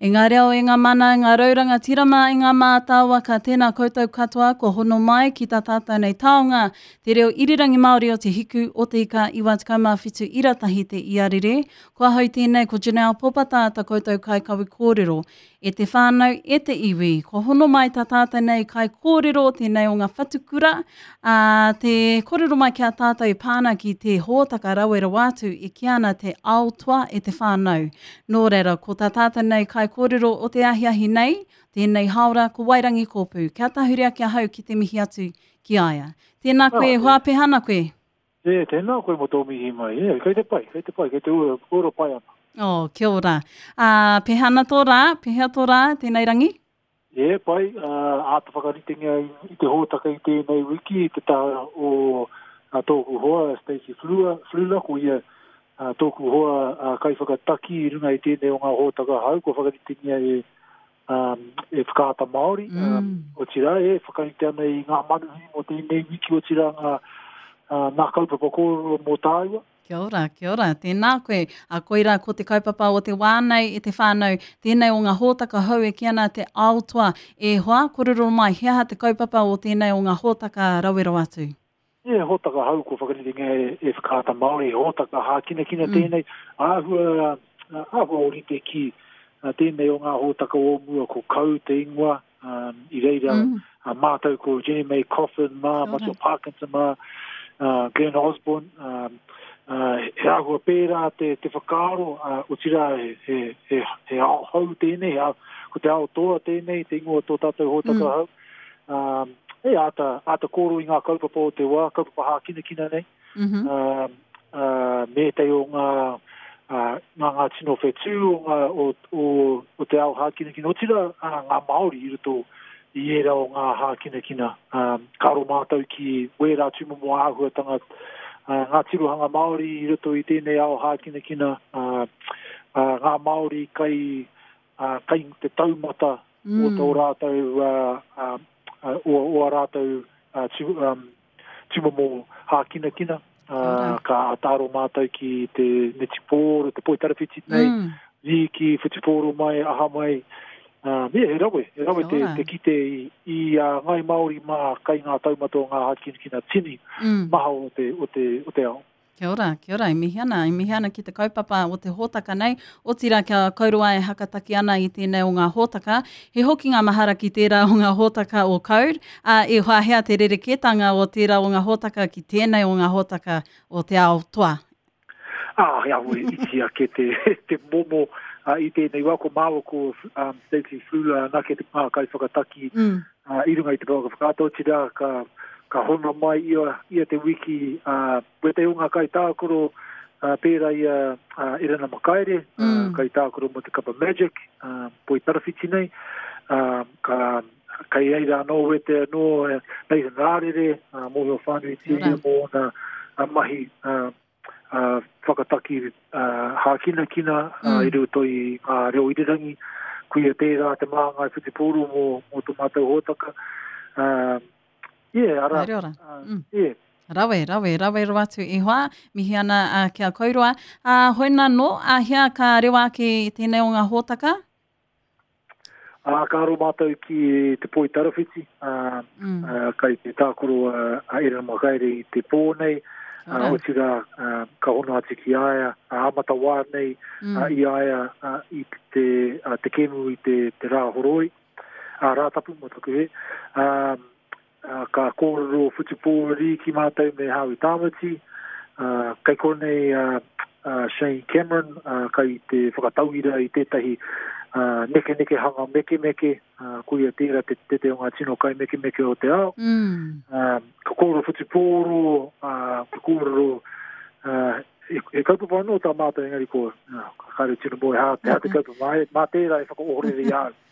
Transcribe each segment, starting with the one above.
E ngā reo, e ngā mana, e ngā rau rangatira mā, e ngā mātāwaka, tēnā koutou katoa kua hono mai ki tā tātou nei taonga, te reo irirangi Māori o Te Hiku o Te Ika 97 ira tahi te iarere. Ko ahau tēnei, ko Janelle Popata tā koutou kaikawe kōrero. E te whānau, e te iwi, kua hono mai tā tātou nei kaikōrero, tēnei o ngā whatukura, ā, te kōrero mai ki a tātou e pā ana ki te hōtaka rawe rawa atu e kī ana te ao toa e te whānau. Nō reira, ko tā tātou nei kaikōrero o te ahiahi nei, tēnei hāora, ko Wairangi Kōpū. Kia tahuri ake ahau ki te mihi atu ki a ia. Tēnā koe, e hoa, pēhea ana koe? E, tēnā koe mō tō mihi mai. E, kei te pai, kei te pai, kei te ora, ora pai ana. Oh, kia ora. Ā, pēhea ana tō rā? Pēhea tō rā, tēnei rangi? E, pai, ā, āta whakaritengia i, i te hōtaka i tēnei wiki i te taha o a tōku hoa, Stacey Flua, Flula, ko ia a, tōku hoa a, kaiwhakataki i runga i tēnei o ngā hōtaka hau, kua whakaritengia e um, e Whakaata Māori, mm. um, otirā e whakarite ana i ngā manuhiri mō tēnei wiki, otirā ngā, uh, ngā kaupapa kōrero mō tāua. Kia ora, kia ora, tēnā koe. A koirā ko te kaupapa o te wā nei e te whānau, tēnei o ngā hōtaka hou e kī ana te ao toa. E hoa, kōrero mai, he aha te kaupapa o tēnei o ngā hōtaka rawe rawa atu? He hōtaka hou kua whakaritengia e, e Whakaata Māori, he hōtaka hākinakina mm. tēnei, āhua, āhua ōrite ki tēnei o ngā hōtaka o mua ko Kau te ingoa, um, i reira mm. uh, mātou ko Jenny May Coffin mā, Matua Parkinson mā, uh, Glenn Osborne, um, uh, he āhua pērā te, te whakaaro, uh, otirā he, he, he, he ao hou tēnei, he ao, ko te ao toa tēnei, te ingoa tō tātou hōtaka mm. hou. Um, e āta, āta kōrero i ngā kaupapa o te wā, kaupapa hākinakina nei, mm -hmm. uh, uh, me ētahi o ngā, uh, ngā, ngā tino whetū o, ngā, o, o, o te ao hākinakina, otirā uh, ngā Māori i roto i ērā o ngā hākinakina. Um, ka aro mātou ki wērā tūmomo āhuatanga, uh, ngā tirohanga Māori i roto i tēnei ao hākinakina, uh, uh, ngā Māori kai, uh, kai te taumata mm. o tō rātou, uh, uh, o, o a rātou uh, tū, um, tūmomo hākinakina. Uh, ka āta aro mātou ki te netipōro, te poitarawhiti nei, mm. rīki, whutupōro mai, aha mai. Uh, me, he rawe, he rawe te, te kite i, i a uh, Ngai Māori mā kai ngā taumata o ngā hākinakina tini mm. maha o te, o te, o te ao. Kia ora, kia ora, e mihi ana, e mihi ana ki te kaupapa o te hōtaka nei, otirā kia kauroa e hakataki ana i tēnei o ngā hōtaka. He hokinga mahara ki tērā o ngā hōtaka o Code, ā, i wāhea te rerekētanga o tērā o ngā hōtaka ki tēnei o ngā hōtaka o Te Ao Toa. Ā, he awe iti ake te, te momo uh, i tēnei wā, ko māua ko um, Stacey Flula anake te ngā kaiwhakataki mm. uh, i runga i te pouaka whakaata, otirā ka, ka hono mai ia, ia te wiki uh, wētahi o ngā kaitākaro uh, pērā i a uh, Erana Makaere, mm. uh, kaitākaro mō te kapa Magic, uh, poi tarawhiti nei, uh, ka, kei reira anō wete anō Nathan Rārere, uh, mōhio whānuitia ia mō ōna uh, mahi uh, uh, whakataki uh, hākinakina uh, mm. i roto i ngā reo irirangi. Kuia tērā te māngai whutupōro mō, mō tō mātou hōtaka. Uh, yeah, ara, ora. Uh, mm. yeah. Rawe, rawe, rawe rawa atu e hoa, mihi ana uh, ki a kouroa. Uh, hoina nō, a hea ka rewa ake i tēnei o ngā hōtaka? Ā, ka aro mātou ki te poi tarawhiti, ā, mm. ā, kai te tākaro a, a Erena Makaere i te pō nei, ā, otirā, ā, ka hono atu ki a ia, ā, amata wā nei, mm. ā, i a ia, ā, i te, ā, te kēmu i te, te rā horoi, ā, Rātapu mō taku hē, ā, ā, ka kōrero whutupōro rīki mātou me Howie Tāmati, ā, kei konei a, a Shane Cameron, ā, kai te whakatauira i tētahi ā, nekenekehanga mekemeke, ā, koia tērā te tete o ngā tino kaimekemeke o te ao. Mm. Ā, ka kōrero whutupōro, ā, ka kōrero, ā, he, he kaupapa anō tā mātou engari ko, ā, kāre tino moe hā, te hā te kaupapa, mā, mā tērā e whakaohorere i a au.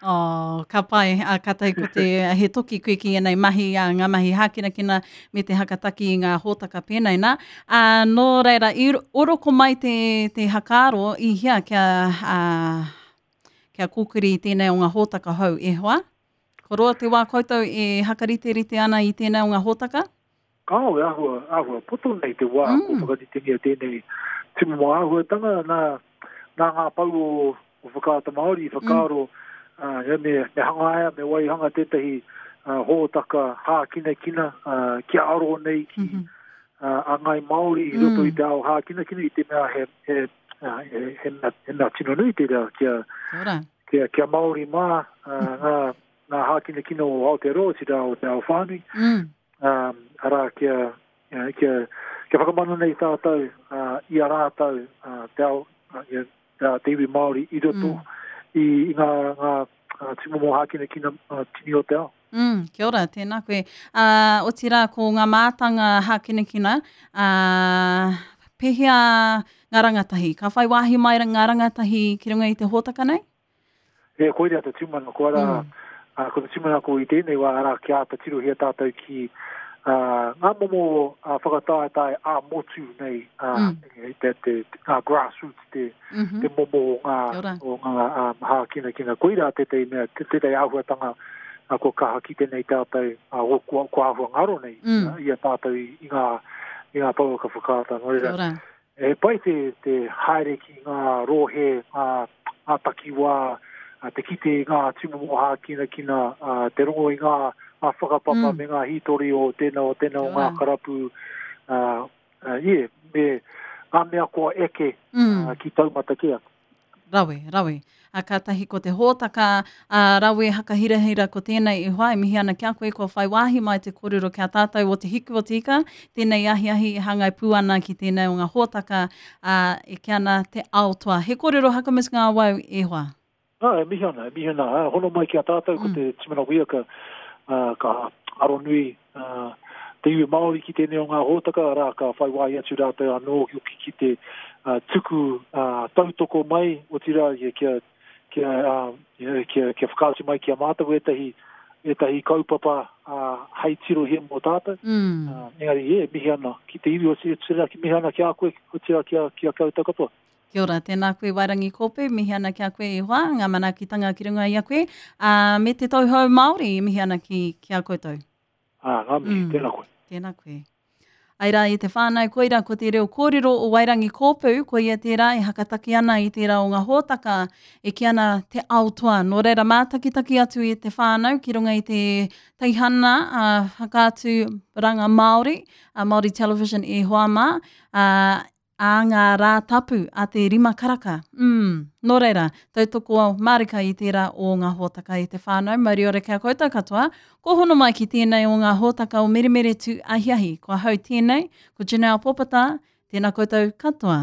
Oh, ka pai, a, ka tahi ko te, he toki koe ki ēnei mahi, a, ngā mahi hākinakina me te hakataki i ngā hōtaka pēnei nā. A, nō reira, i oroko mai te, te hakaaro i hea kia, a, kia kōkiri i tēnei o ngā hōtaka hou e hoa? Ko roa te wā koutou e hakariterite ana i tēnei o ngā hōtaka? Kāo, e āhua, āhua poto nei te wā mm. ko whakaritengia tēnei tūmomo āhuatanga nā, nā ngā pau o o Whakaata Māori i whakaaro mm. uh, me, me hangaia, me waihanga tētahi uh, hōtaka hākinakina uh, kia aro nei ki mm -hmm. uh, a Ngai Māori i roto mm. i te ao hākinakina i te mea he, he, uh, he, he, mea, he mea tino nui tērā kia, kia, kia Māori mā uh, ngā, ngā hākinakina o Aotearoa, otirā o te ao whānui. Mm. Um, arā, kia, kia, kia whakamana nei tātou uh, i a rātou uh, te, ao, uh, ia, te iwi Māori i roto mm. i, i ngā, ngā uh, tūmomo hākinakina uh, tini o te ao. Mm, kia ora, tēnā koe. Uh, otirā, ko ngā mātanga hākinakina, uh, pehea ngā rangatahi? Ka whai wāhi mai ngā rangatahi ki runga i te hōtaka nei? E, koirā te tūmanako, arā, mm. uh, ko te tūmanako i tēnei wā, arā, kia āta tirohia tātou ki uh, ngā momo uh, whakataetae ā-motu nei, uh, mm. te, te, te, ngā grassroots, te, mm -hmm. te momo o ngā, o ngā um, hākinakina. Koirā tētahi mea, tētahi āhuatanga uh, kua kaha kite nei tātou, uh, kua, kua āhua ngaro nei mm. uh, i a tātou i, i ngā, i ngā pouaka whakaata. Nō reira, He pai te, te haere ki ngā rohe, ngā, ngā takiwā, te kite i ngā tūmomo hākinakina, te rongo i ngā, ngā whakapapa mm. me ngā hītori o tēnā o tēnā o ngā karapu, uh, uh, yeah, me ngā mea kua eke mm. uh, ki taumata kē atu. Rawe, rawe. A kātahi ko te hōtaka a Rawe Hakahirahira ko tēnei e hoa e mihi ana ki a koe kua whai wāhi mai te kōrero ki a tātou o Te Hiku o Te Ika, tēnei ahiahi e hāngai pū ana ki tēnei o ngā hōtaka a, e kī ana te ao toa. He kōrero hakamutunga awau e hoa. Ā, e mihi ana, e mihi ana. Ā, hono mai ki a tātou ko mm. te Timana Wia ka, uh, ka aronui uh, te iwi Māori ki tēnei o ngā hōtaka, arā, ka whai wāhi atu rātou anō hoki ki te uh, tuku uh, tautoko mai, otirā, kia, kia, kia, uh, you know, kia, kia whakaatu mai ki a mātou ētahi, ētahi kaupapa uh, hei tirohia mō tātou. Mm. Uh, engari, e, mihi ana ki te iwi, otirā, ki mihi ana ki a koe, otirā ki a, ki a koutou katoa. Kia ora, tēnā koe Wairangi Kōpū, mihi ana ki a koe e hoa, ngā manaakitanga ki runga i a koe, ā, me te tauhou Māori e mihi ana ki, ki a koutou. Ā, ngā mihi, mm. tēnā koe. Tēnā koe. Ai rā i te whānau, koira ko te reo kōrero o Wairangi Kōpū, koia tērā e hakataki ana i tērā o ngā hōtaka e kī ana te ao toa. Nō reira mātakitaki atu i te whānau ki runga i te teihana a whakaatu ranga Māori, a Māori Television e hoa mā, a, ā ngā rā tapu a te rima karaka. Mm. Nō reira, tautoko mārika i tērā o ngā hōtaka i te whānau. Mauri ora ki a koutou katoa. Ko hono mai ki tēnei o ngā hōtaka o Meremere Tū Ahiahi. Ko ahau tēnei, ko Janelle Popata. Tēnā koutou katoa.